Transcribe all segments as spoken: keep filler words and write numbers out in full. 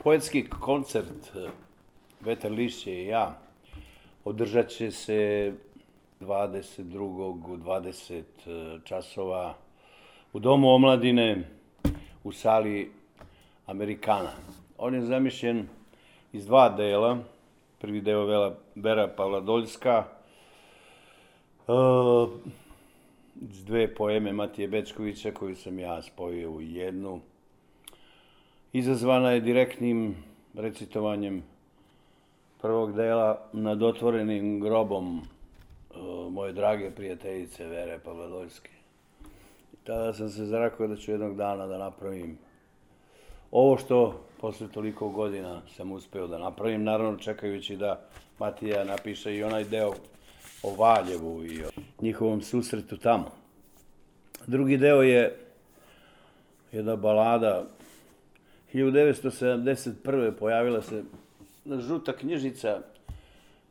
Poetski koncert Vetar lišće i ja održat će se dvadeset drugog u dvadeset časova u Domu omladine u sali Amerikana. On je zamišljen iz dva dela. Prvi deo Vera Pavladoljska, iz dve poeme Matije Bećkovića koju sam ja spojio u jednu. Izazvana je direktnim recitovanjem prvog dela nad otvorenim grobom moje drage prijateljice Vere Pavladoljske. Tada sam se zarakao da ću jednog dana da napravim ovo što posle toliko godina sam uspeo da napravim, naravno čekajući da Matija napiše i onaj deo o Valjevu i o njihovom susretu tamo. Drugi deo je jedna balada. hiljadu devetsto sedamdeset prve pojavila se žuta knjižica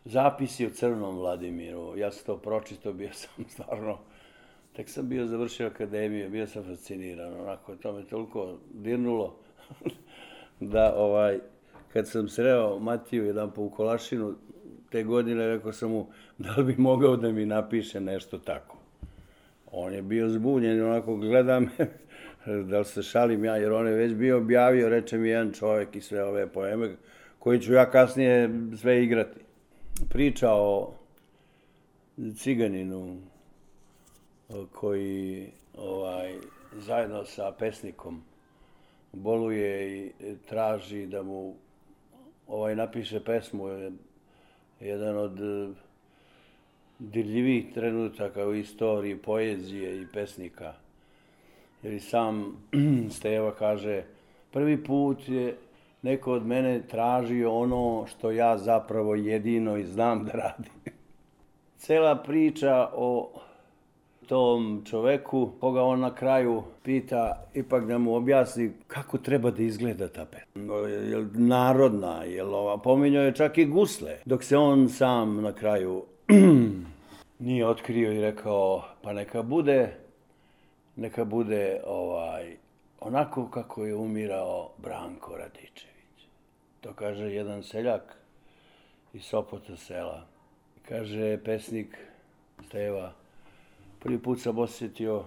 Zapisi o Crnom Vladimiru. Ja sam to pročitao, bio sam stvarno, tek sam bio završio akademiju, bio sam fasciniran, onako, to me toliko dirnulo da ovaj, kad sam sreo Matiju jedan po u Kolašinu te godine, rekao sam mu da li bi mogao da mi napiše nešto tako. On je bio zbunjen, onako gleda me, da li se šalim ja, jer on je već bio objavio, reče mi jedan čovjek i sve ove poeme, koji ću ja kasnije sve igrati. Priča o ciganinu koji ovaj, zajedno sa pesnikom boluje i traži da mu ovaj, napiše pesmu. Jedan od dirljivih trenutaka u istoriji poezije i pesnika. Jer i sam Steva kaže, prvi put je neko od mene tražio ono što ja zapravo jedino i znam da radim. Cela priča o tom čoveku, koga on na kraju pita, ipak da mu objasni kako treba da izgleda ta pesma. Je li narodna, je li ova, pominjao je čak i gusle, dok se on sam na kraju nije otkrio i rekao, pa neka bude, neka bude ovaj, onako kako je umirao Branko Radičević. To kaže jedan seljak iz Sopota sela. Kaže pesnik Steva, prvi put sam osjetio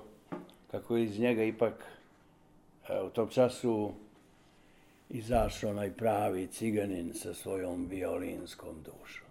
kako je iz njega ipak u tom času izašao onaj pravi ciganin sa svojom violinskom dušom.